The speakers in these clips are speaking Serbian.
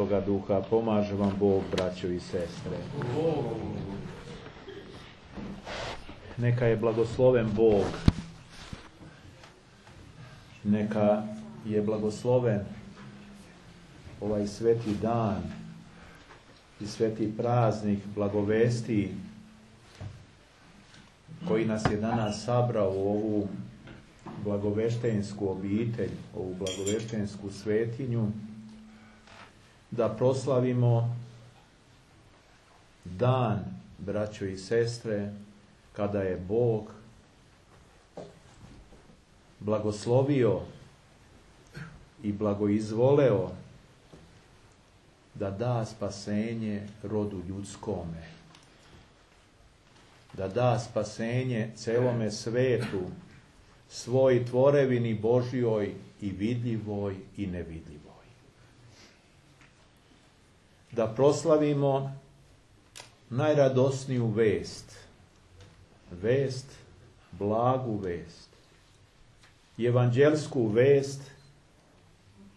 Svetoga Duha. Pomaže vam Bog, braćo i sestre. Neka je blagosloven Bog. Neka je blagosloven ovaj sveti dan i sveti praznik blagovesti koji nas je danas sabrao u ovu blagoveštensku obitelj, ovu blagoveštensku svetinju, da proslavimo dan, braćo i sestre, kada je Bog blagoslovio i blagoizvoleo da da spasenje rodu ljudskome, da da spasenje celome svetu, svoj tvorevini Božjoj i vidljivoj i nevidljivoj. Da proslavimo najradosniju vest, blagu vest, evanđelsku vest,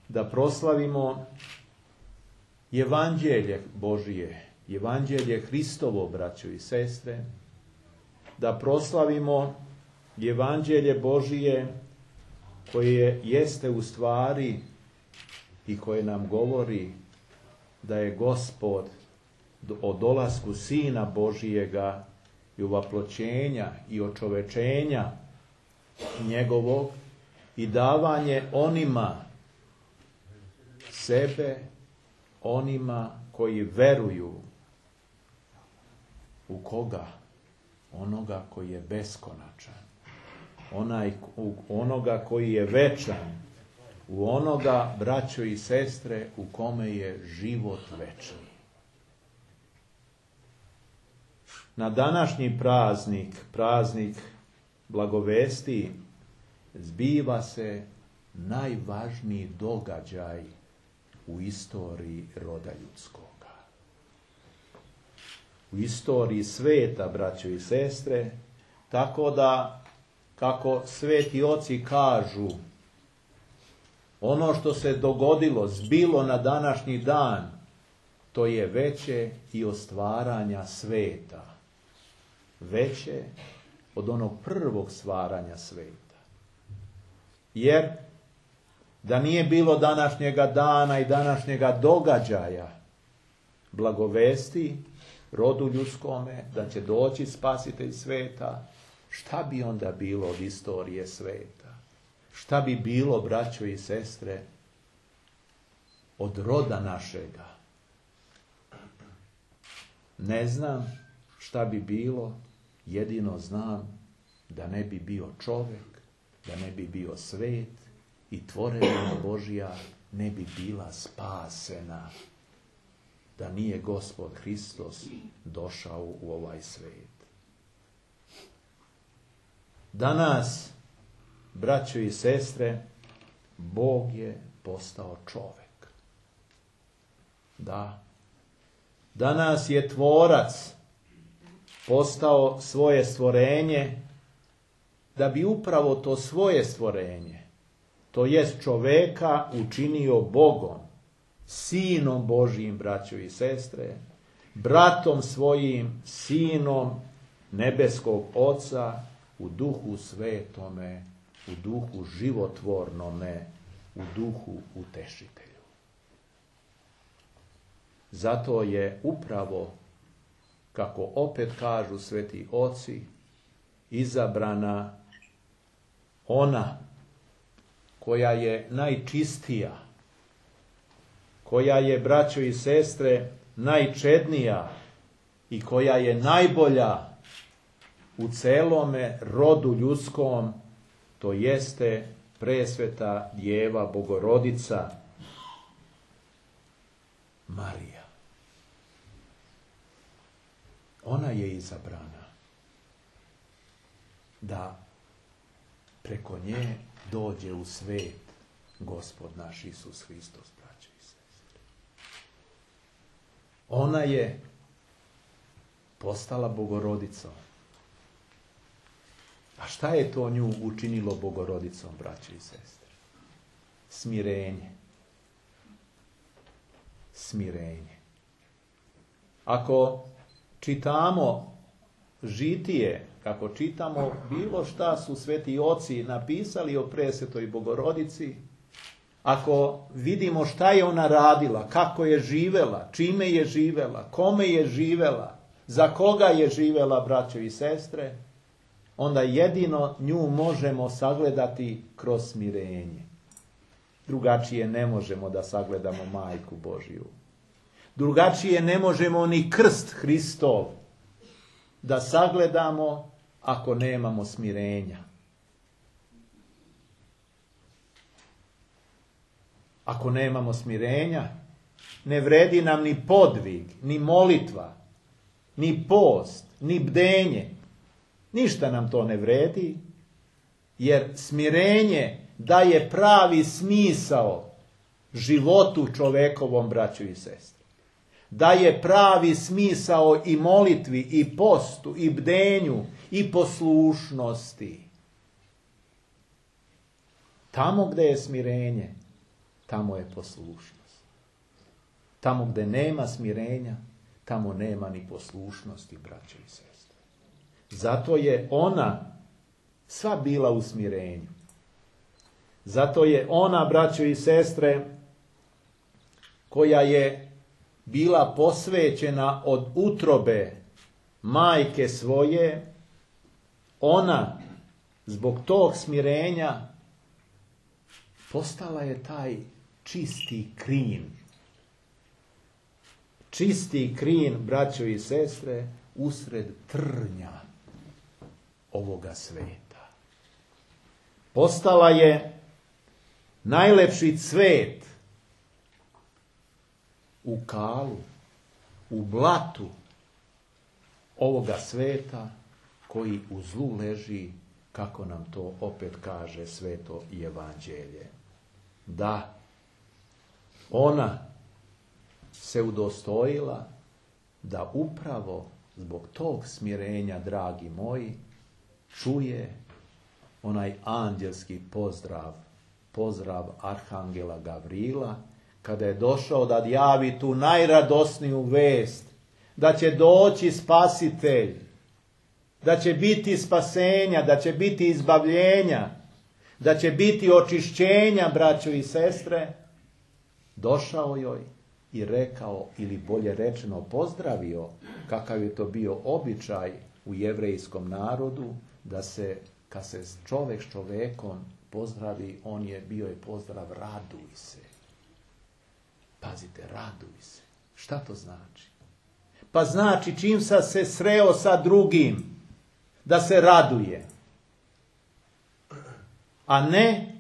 da proslavimo Evanđelje Božije, Evanđelje Hristovo, braćo i sestre, da proslavimo Evanđelje Božije koje jeste u stvari i koje nam govori da je Gospod o dolasku Sina Božijega i uvaploćenja i očovečenja njegovog i davanje onima sebe, onima koji veruju u koga? Onoga koji je beskonačan, onoga koji je večan, u onoga, braćo i sestre, u kome je život večni. Na današnji praznik blagovesti, zbiva se najvažniji događaj u istoriji roda ljudskoga. U istoriji sveta, braćo i sestre, tako da, kako sveti oci kažu, ono što se dogodilo, zbilo na današnji dan, to je veće i od stvaranja sveta. Veće od onog prvog stvaranja sveta. Jer da nije bilo današnjega dana i današnjega događaja blagovesti rodu ljudskome, da će doći spasitelj sveta, šta bi onda bilo od istorije sveta? Šta bi bilo, braćo i sestre, od roda našega? Ne znam šta bi bilo, jedino znam da ne bi bio čovjek, da ne bi bio svet i tvorevina Božja ne bi bila spasena, da nije Gospod Hristos došao u ovaj svet. Danas, braćo i sestre, Bog je postao čovjek. Da. Danas je tvorac postao svoje stvorenje, da bi upravo to svoje stvorenje, to jest čoveka, učinio Bogom, Sinom Božijim, braćo i sestre, bratom svojim, Sinom nebeskog Oca, u duhu svetome, u duhu životvornome, u duhu utešitelju. Zato je upravo, kako opet kažu sveti oci, izabrana ona koja je najčistija, koja je, braćo i sestre, najčednija i koja je najbolja u celome rodu ljudskom, to jeste presveta Djeva Bogorodica Marija. Ona je izabrana da preko nje dođe u svet Gospod naš Isus Hristos, braćo i sestre. Ona je postala Bogorodicom. A šta je to nju učinilo Bogorodicom, braćo i sestre? Smirenje. smirenje. Ako čitamo žitije, kako čitamo bilo šta su sveti oci napisali o presvetoj Bogorodici, ako vidimo šta je ona radila, kako je živela, čime je živela, kome je živela, za koga je živela, braćo i sestre, onda jedino nju možemo sagledati kroz smirenje. Drugačije ne možemo da sagledamo Majku Božju. Drugačije ne možemo ni krst Hristov da sagledamo ako nemamo smirenja. Ako nemamo smirenja, ne vredi nam ni podvig, ni molitva, ni post, ni bdenje. Ništa nam to ne vredi, jer smirenje daje pravi smisao životu čovekovom, braćo i sestre. Daje pravi smisao i molitvi, i postu, i bdenju, i poslušnosti. Tamo gde je smirenje, tamo je poslušnost. Tamo gde nema smirenja, tamo nema ni poslušnosti, braćo i sestre. Zato je ona sva bila u smirenju. Zato je ona, braćo i sestre, koja je bila posvećena od utrobe majke svoje, ona zbog tog smirenja postala je taj čisti krin. Čisti krin, braćo i sestre, usred trnja ovoga sveta. Postala je najlepši cvet u kalu, u blatu ovoga sveta koji u zlu leži, kako nam to opet kaže sveto evanđelje. Da, ona se udostojila da upravo zbog tog smirenja, dragi moji, čuje onaj anđelski pozdrav arhangela Gavrila, kada je došao da javi tu najradosniju vest, da će doći spasitelj, da će biti spasenja, da će biti izbavljenja, da će biti očišćenja, braćo i sestre. Došao joj i rekao, ili bolje rečeno pozdravio, kakav je to bio običaj u jevrejskom narodu, da se, kad se čovek s čovekom pozdravi, bio je pozdrav raduj se. Pazite, raduj se. Šta to znači? Pa znači čim sam se sreo sa drugim, da se raduje. A ne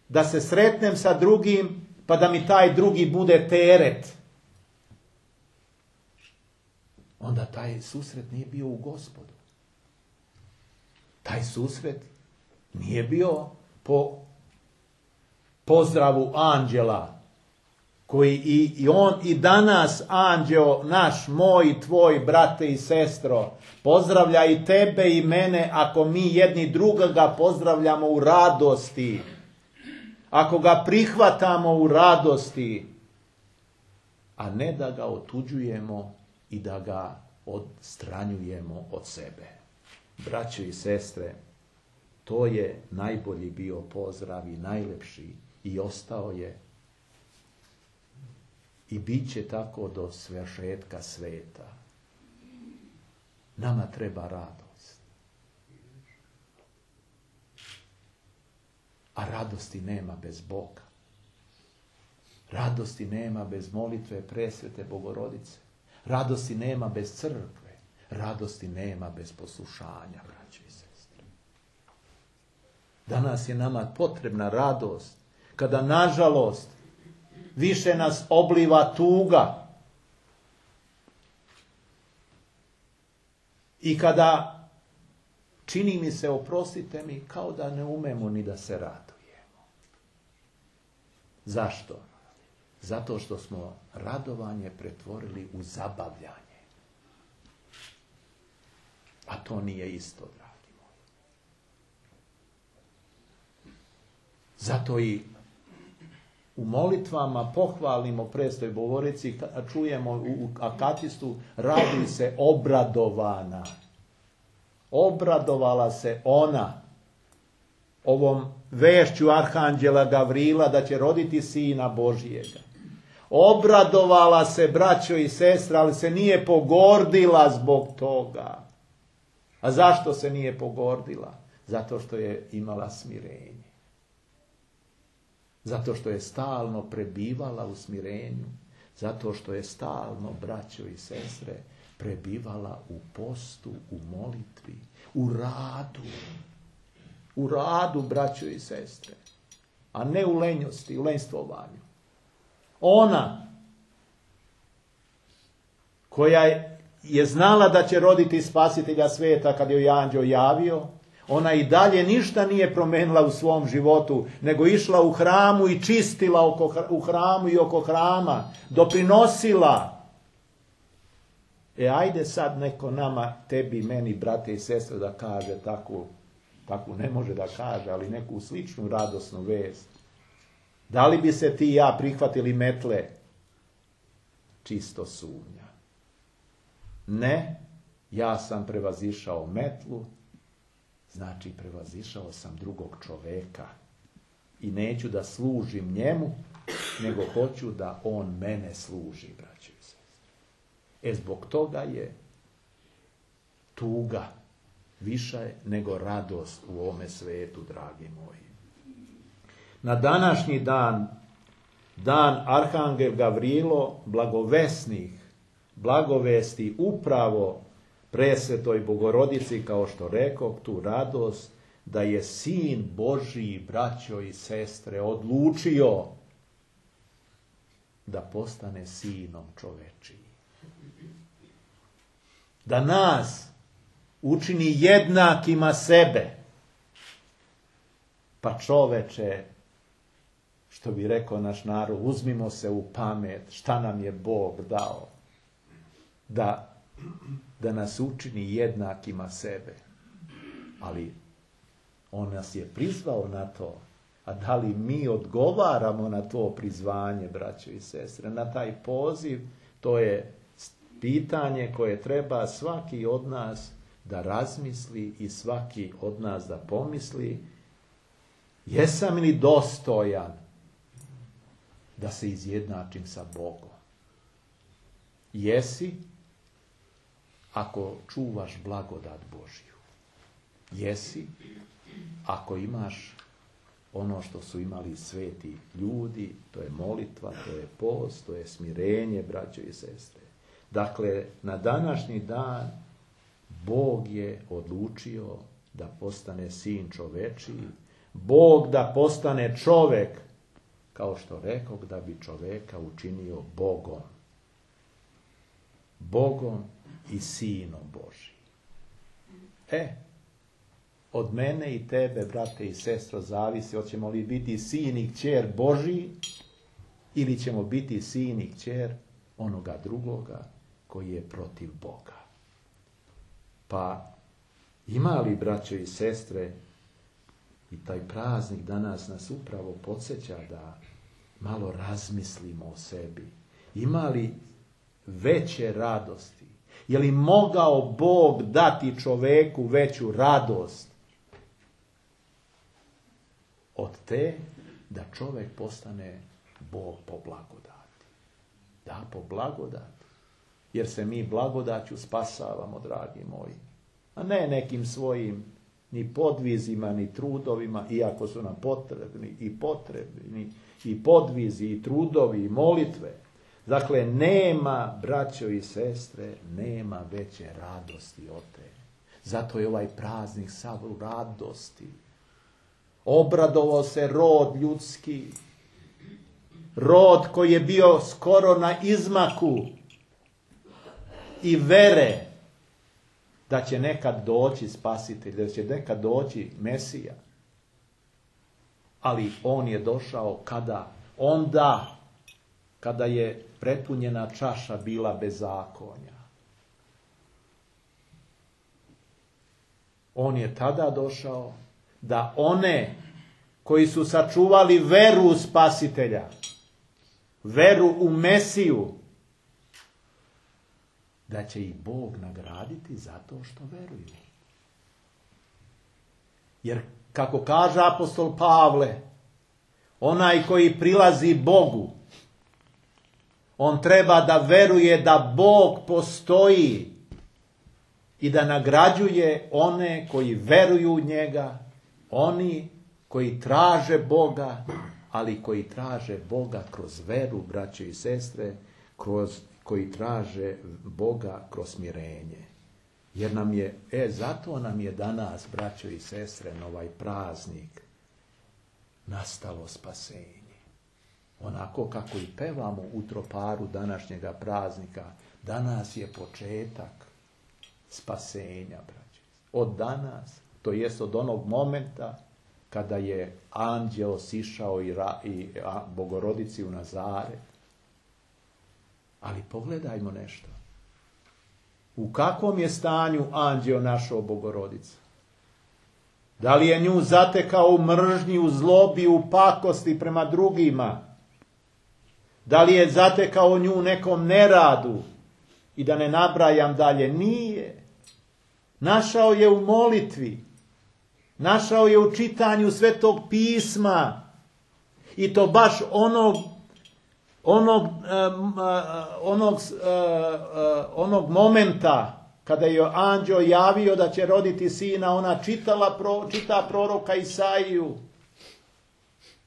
da se sretnem sa drugim, pa da mi taj drugi bude teret. Onda taj susret nije bio u Gospodu. Taj susret nije bio po pozdravu anđela, koji i on i danas, anđeo naš, moj, tvoj, brate i sestro, pozdravlja i tebe i mene ako mi jedni drugoga pozdravljamo u radosti, ako ga prihvatamo u radosti, a ne da ga otuđujemo i da ga odstranjujemo od sebe. Braćo i sestre, to je najbolji bio pozdrav i najlepši i ostao je i bit će tako do svršetka sveta. Nama treba radost. A radosti nema bez Boga. Radosti nema bez molitve presvete Bogorodice. Radosti nema bez crkve. Radosti nema bez poslušanja, braćo i sestre. Danas je nama potrebna radost, kada nažalost više nas obliva tuga. I kada, čini mi se, oprostite mi, kao da ne umemo ni da se radujemo. Zašto? Zato što smo radovanje pretvorili u zabavljanje. A to nije isto, dragi moji. Zato i u molitvama pohvalimo prestoj Bogorodici, čujemo u akatistu, raduj se obradovana. Obradovala se ona ovom vešću arhanđela Gavrila da će roditi sina Božijega. Obradovala se, braćo i sestra, ali se nije pogordila zbog toga. A zašto se nije pogordila? Zato što je imala smirenje. Zato što je stalno prebivala u smirenju. Zato što je stalno, braćo i sestre, prebivala u postu, u molitvi, u radu. U radu, braćo i sestre. A ne u lenjosti, u lenjstvovanju. Ona koja je znala da će roditi spasitelja svijeta kad joj anđeo javio, ona i dalje ništa nije promenila u svom životu, nego išla u hramu i čistila u hramu i oko hrama, doprinosila. Ajde sad neko nama, tebi, meni, brate i sestre, da kaže takvu ne može da kaže, ali neku sličnu radosnu vest. Da li bi se ti i ja prihvatili metle? Čisto sumnja. Ne, ja sam prevazišao metlu, znači prevazišao sam drugog čoveka. I neću da služim njemu, nego hoću da on mene služi, braćo i sestre. Zbog toga je tuga više nego radost u ovome svetu, dragi moji. Na današnji dan, dan Arhangel Gavrilo, blagovesti upravo presvetoj Bogorodici, kao što rekao, tu radost da je Sin Božiji, braćo i sestre, odlučio da postane sinom čovečiji. Da nas učini jednakima sebe. Pa čoveče, što bi rekao naš narod, uzmimo se u pamet šta nam je Bog dao. Da nas učini jednakima sebe. Ali on nas je prizvao na to. A da li mi odgovaramo na to prizvanje, braćo i sestre, na taj poziv, to je pitanje koje treba svaki od nas da razmisli i svaki od nas da pomisli. Jesam li dostojan da se izjednačim sa Bogom? Jesi, ako čuvaš blagodat Božju. Jesi, ako imaš ono što su imali sveti ljudi, to je molitva, to je post, to je smirenje, braćo i sestre. Dakle, na današnji dan Bog je odlučio da postane sin čovečiji, Bog da postane čovek, kao što rekao, da bi čoveka učinio Bogom. Bogom i sinom Božijim. Od mene i tebe, brate i sestro, zavisi hoćemo li biti sin i kćer Božiji ili ćemo biti sin i kćer onoga drugoga koji je protiv Boga. Pa ima li, braćo i sestre, i taj praznik danas nas upravo podsjeća da malo razmislimo o sebi. Ima li veće radosti? Je li mogao Bog dati čoveku veću radost od te da čovek postane Bog po blagodati? Da, po blagodati. Jer se mi blagodaću spasavamo, dragi moji. A ne nekim svojim ni podvizima, ni trudovima, iako su nam potrebni i podvizi, i trudovi, i molitve. Dakle, nema, braćo i sestre, nema veće radosti od te. Zato je ovaj praznik sav u radosti. Obradovao se rod ljudski, rod koji je bio skoro na izmaku i vere da će nekad doći spasitelj, da će nekad doći Mesija. Ali on je došao kada? Onda kada je prepunjena čaša bila bezakonja. On je tada došao da one koji su sačuvali veru u spasitelja, veru u Mesiju, da će ih Bog nagraditi zato što veruju. Jer, kako kaže apostol Pavle, onaj koji prilazi Bogu, on treba da veruje da Bog postoji i da nagrađuje one koji veruju u njega, oni koji traže Boga, ali koji traže Boga kroz veru, braće i sestre, koji traže Boga kroz smirenje. Jer nam je, zato nam je danas, braćo i sestre, na ovaj praznik nastalo spasenje. Onako kako i pevamo u troparu današnjega praznika, danas je početak spasenja, braće. Od danas, to jest od onog momenta kada je anđeo sišao i Bogorodici u Nazaret. Ali pogledajmo nešto. U kakvom je stanju anđeo našao Bogorodicu? Da li je nju zatekao u mržnji, u zlobi, u pakosti prema drugima? Da li je zatekao nju u nekom neradu? I da ne nabrajam dalje, nije. Našao je u molitvi. Našao je u čitanju Svetog pisma. I to baš onog momenta kada je anđeo javio da će roditi sina, ona čita proroka Isaiju,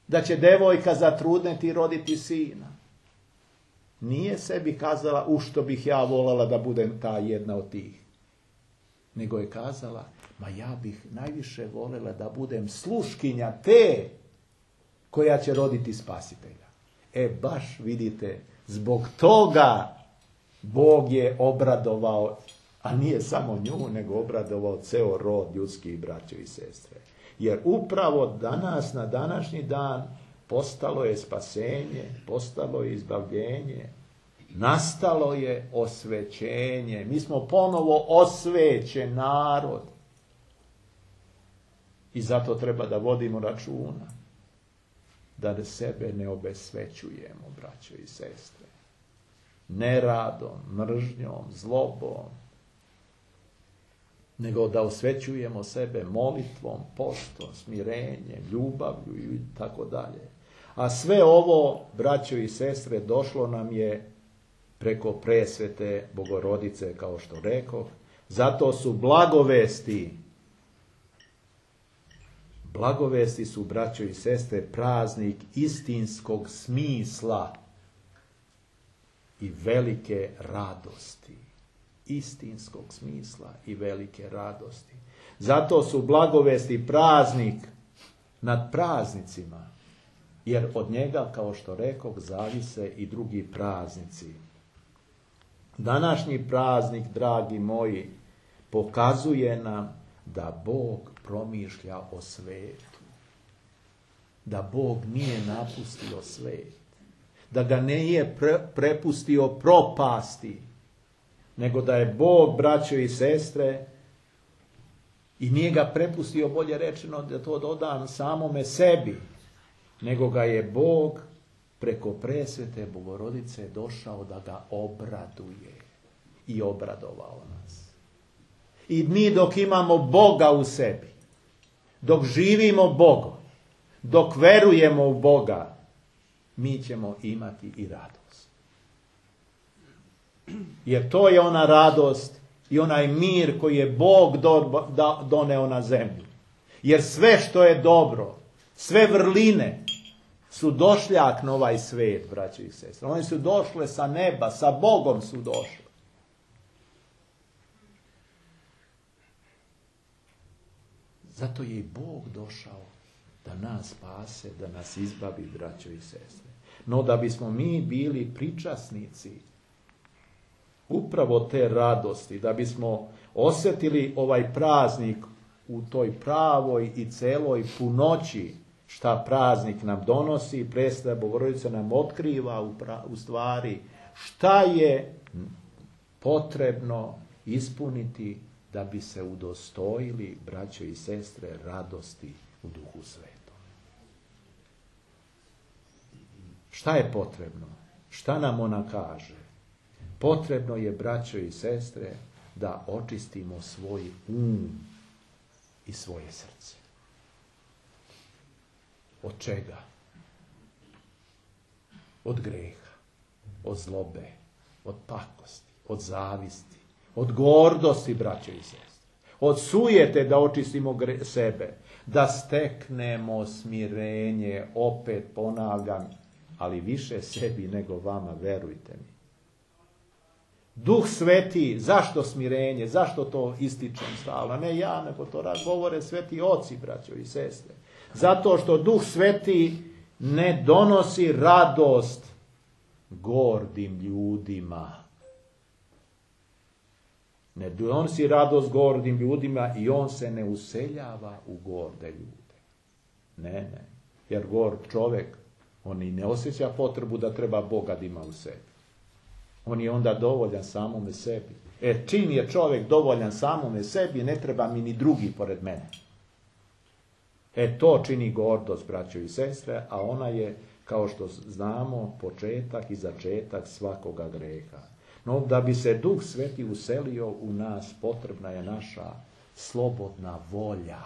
da će devojka zatrudneti i roditi sina. Nije sebi kazala, u što bih ja voljela da budem ta jedna od tih. Nego je kazala, ma ja bih najviše voljela da budem sluškinja te koja će roditi spasitelja. Baš vidite, zbog toga Bog je obradovao, a nije samo nju, nego obradovao ceo rod ljudskih, braće i sestre. Jer upravo danas, na današnji dan, postalo je spasenje, postalo je izbavljenje, nastalo je osvećenje. Mi smo ponovo osvećen narod. I zato treba da vodimo računa da sebe ne obesvećujemo, braćo i sestre. Neradom, mržnjom, zlobom, nego da osvećujemo sebe molitvom, postom, smirenjem, ljubavlju i tako dalje. A sve ovo, braćo i sestre, došlo nam je preko presvete Bogorodice, kao što rekoh. Zato su blagovesti su, braćo i sestre, praznik istinskog smisla i velike radosti. Istinskog smisla i velike radosti. Zato su blagovesti praznik nad praznicima, jer od njega, kao što rekoh, zavise i drugi praznici. Današnji praznik, dragi moji, pokazuje nam da Bog promišlja o svetu. Da Bog nije napustio svet. Da ga nije prepustio propasti. Nego da je Bog, braćo i sestre, i nije ga prepustio, bolje rečeno, da to dodam samome sebi. Nego ga je Bog preko presvete Bogorodice došao da ga obraduje. I obradovao nas. I mi dok imamo Boga u sebi, dok živimo Bogom, dok verujemo u Boga, mi ćemo imati i radost. Jer to je ona radost i onaj mir koji je Bog doneo na zemlju. Jer sve što je dobro, sve vrline su došljak na ovaj svet, braći i sestre. Oni su došle sa neba, sa Bogom su došli. Zato je i Bog došao da nas spase, da nas izbavi, braćo i sestre. No da bismo mi bili pričasnici upravo te radosti, da bismo osjetili ovaj praznik u toj pravoj i celoj punoći šta praznik nam donosi, presveta Bogorodica nam otkriva u stvari šta je potrebno ispuniti da bi se udostojili, braćo i sestre, radosti u Duhu Svetom. Šta je potrebno? Šta nam ona kaže? Potrebno je, braćo i sestre, da očistimo svoj i svoje srce. Od čega? Od greha, od zlobe, od pakosti, od zavisti, od gordosti, braćo i sestre. Od sujete da očistimo sebe, da steknemo smirenje, opet ponavljam, ali više sebi nego vama, verujte mi. Duh Sveti, zašto smirenje, zašto to ističem stalno? Ne ja, nego to govore sveti oci, braćo i sestre. Zato što Duh Sveti ne donosi radost gordim ljudima. Ne donosi radost gordim ljudima i on se ne useljava u gorde ljude. Ne. Jer gord čovjek, on i ne osjeća potrebu da treba Boga da ima u sebi. On je onda dovoljan samome sebi. Čim je čovjek dovoljan samome sebi, ne treba mi ni drugi pored mene. To čini gordost, braćo i sestre, a ona je, kao što znamo, početak i začetak svakoga greha. No, da bi se Duh Sveti uselio u nas, potrebna je naša slobodna volja.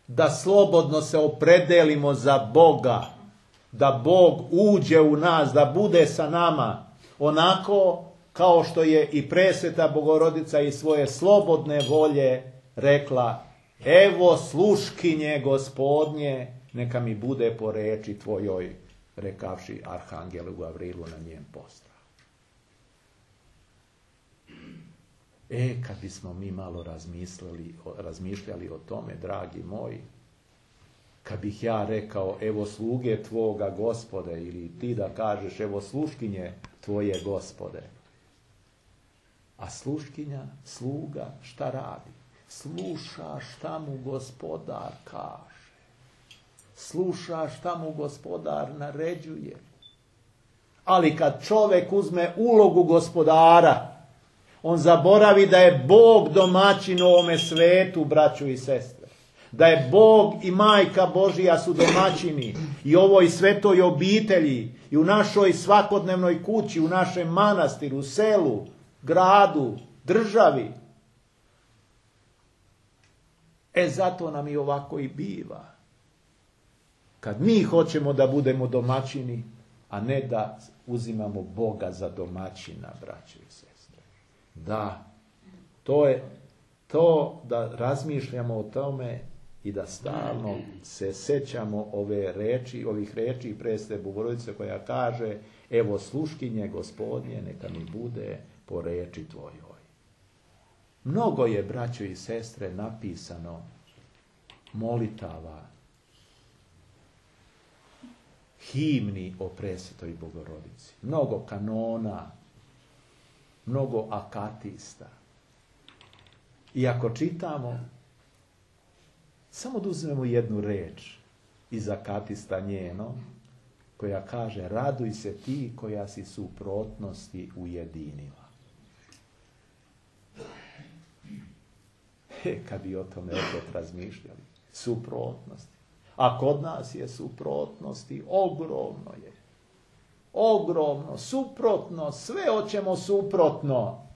Da slobodno se opredelimo za Boga, da Bog uđe u nas, da bude sa nama, onako kao što je i presveta Bogorodica iz svoje slobodne volje rekla: evo sluškinje Gospodnje, neka mi bude po reči tvojoj, rekavši arhangelu Gavrilu na njen postrah. Kad bismo mi malo razmišljali o tome, dragi moji, kad bih ja rekao evo sluge tvoga Gospode, ili ti da kažeš evo sluškinje tvoje Gospode, a sluškinja, sluga, šta radi? Sluša šta mu Gospodar kaže. Sluša šta mu Gospodar naređuje. Ali kad čovjek uzme ulogu gospodara, on zaboravi da je Bog domaćin u ovome svetu, braćo i sestre. Da je Bog i Majka Božija su domaćini i ovoj svetoj obitelji i u našoj svakodnevnoj kući, u našem manastiru, selu, gradu, državi. Zato nam i ovako i biva. Kad mi hoćemo da budemo domaćini, a ne da uzimamo Boga za domaćina, braćo i sestre. Da, to je to da razmišljamo o tome i da stalno se sećamo ovih reči presvete Bogorodice koja kaže evo sluškinje Gospodnje, neka mi bude po reči tvojoj. Mnogo je, braćo i sestre, napisano molitava, himni o presvetoj Bogorodici. Mnogo kanona, mnogo akatista. I ako čitamo, samo da uzmemo jednu reč iz akatista njeno, koja kaže raduj se ti koja si suprotnosti ujedinila. Kad bi o tome opet razmišljali. Suprotnosti. A kod nas je suprotnosti, ogromno je. Ogromno, suprotno, sve hoćemo suprotno.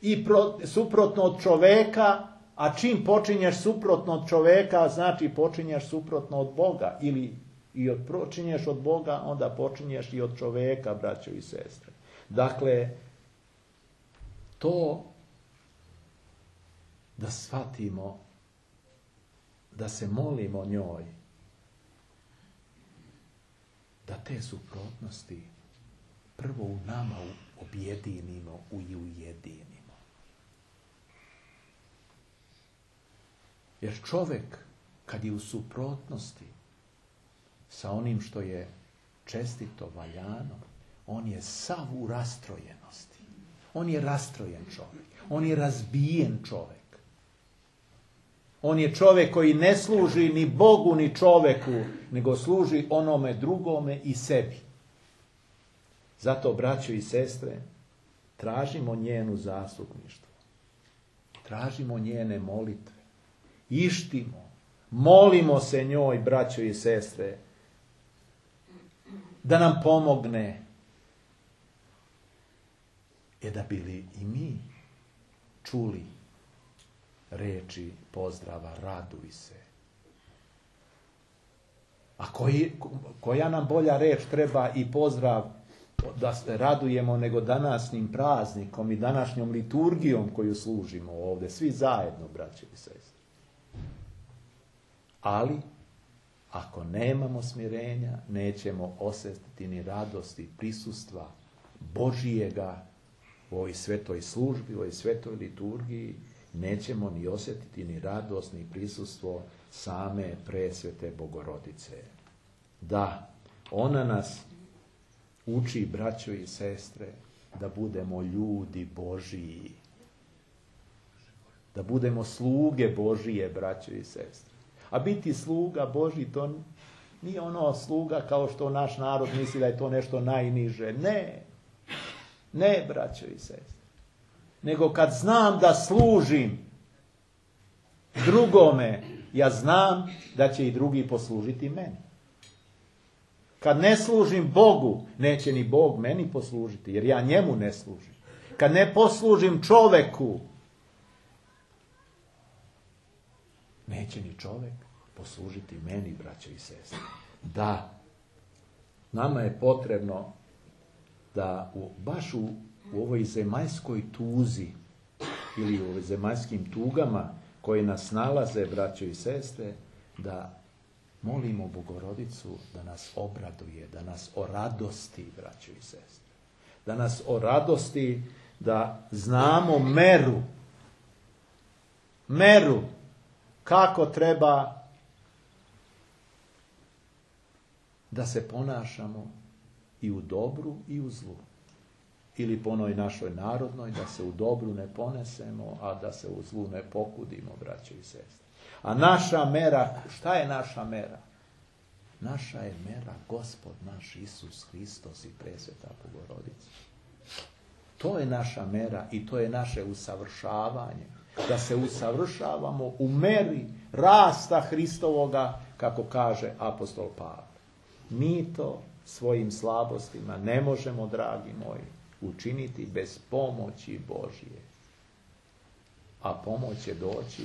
I suprotno od čoveka, a čim počinješ suprotno od čoveka, znači počinješ suprotno od Boga. Ili počinješ od Boga, onda počinješ i od čoveka, braćo i sestre. Dakle, to da shvatimo, da se molimo njoj, da te suprotnosti prvo u nama objedinimo i ujedinimo. Jer čovjek, kad je u suprotnosti sa onim što je čestito, valjano, on je sav u rastrojenosti. On je rastrojen čovjek. On je razbijen čovjek. On je čovjek koji ne služi ni Bogu ni čovjeku, nego služi onome drugome i sebi. Zato, braćo i sestre, tražimo njenu zastupništvo. Tražimo njene molitve. Ištimo. Molimo se njoj, braćo i sestre. da nam pomogne. Da bili i mi čuli reči pozdrava raduj se. A koja nam bolja reč treba i pozdrav da se radujemo nego današnjim praznikom i današnjom liturgijom koju služimo ovdje, svi zajedno, braće i sestre. Ali, ako nemamo smirenja, nećemo osjetiti ni radosti prisustva Božijega u ovoj svetoj službi, u ovoj svetoj liturgiji, nećemo ni osjetiti ni radost, ni prisustvo same presvete Bogorodice. Da, ona nas uči, braćo i sestre, da budemo ljudi Božiji. Da budemo sluge Božije, braćo i sestre. A biti sluga Božji, to nije ono sluga kao što naš narod misli da je to nešto najniže. Ne, braćo i sestre. Nego kad znam da služim drugome, ja znam da će i drugi poslužiti meni. Kad ne služim Bogu, neće ni Bog meni poslužiti, jer ja njemu ne služim. Kad ne poslužim čoveku, neće ni čovek poslužiti meni, braćo i sestre. Da, nama je potrebno da baš u ovoj zemaljskoj tuzi ili u ovoj zemaljskim tugama koje nas nalaze, braćo i sestre, da molimo Bogorodicu da nas obraduje, da nas oradosti, braćo i sestre. Da nas oradosti, da znamo meru kako treba da se ponašamo i u dobru i u zlu. Ili po onoj našoj narodnoj, da se u dobru ne ponesemo, a da se u zlu ne pokudimo, braćo i sestre. A naša mera, šta je naša mera? Naša je mera Gospod naš Isus Hristos i presveta Bogorodica. To je naša mera i to je naše usavršavanje. Da se usavršavamo u meri rasta Hristovoga, kako kaže apostol Pavle. Mi to svojim slabostima ne možemo, dragi moji, učiniti bez pomoći Božije. A pomoć će doći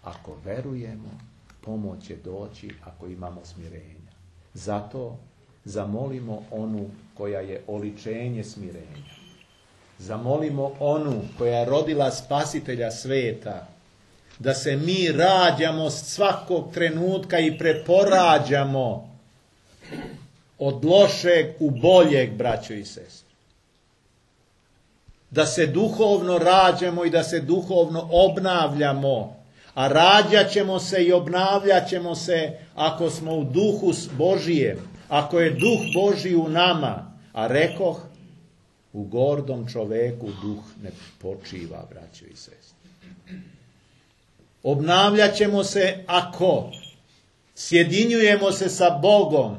ako verujemo, pomoć će doći ako imamo smirenja. Zato zamolimo onu koja je oličenje smirenja. Zamolimo onu koja je rodila Spasitelja sveta, da se mi rađamo svakog trenutka i preporađamo od lošeg u boljeg, braćo i sestre. Da se duhovno rađamo i da se duhovno obnavljamo, a rađat ćemo se i obnavljat ćemo se ako smo u duhu Božijem, ako je duh Božji u nama, a rekoh, u gordom čoveku duh ne počiva, braćo i sestre. Obnavljat ćemo se ako sjedinjujemo se sa Bogom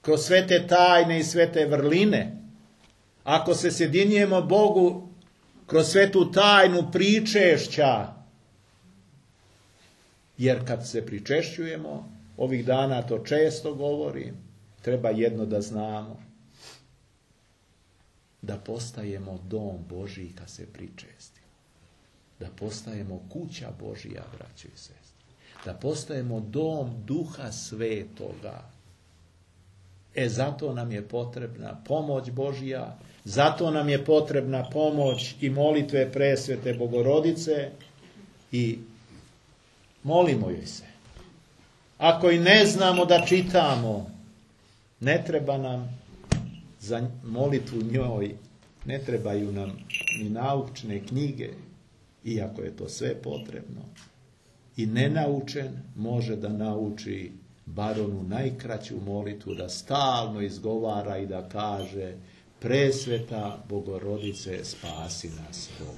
kroz svete tajne i svete vrline, ako se sjedinjujemo Bogu kroz svetu tajnu pričešća, jer kad se pričešćujemo, ovih dana to često govorim, treba jedno da znamo, da postajemo dom Božiji kad se pričestimo, da postajemo kuća Božija, braćo i sestre, da postajemo dom Duha Svetoga. Zato nam je potrebna pomoć Božija, zato nam je potrebna pomoć i molitve presvete Bogorodice i molimo joj se. Ako i ne znamo da čitamo, ne treba nam za molitvu njoj, ne trebaju nam ni naučne knjige, iako je to sve potrebno. I nenaučen može da nauči bar onu najkraću molitvu, da stalno izgovara i da kaže: Presveta Bogorodice, spasi nas, Bog.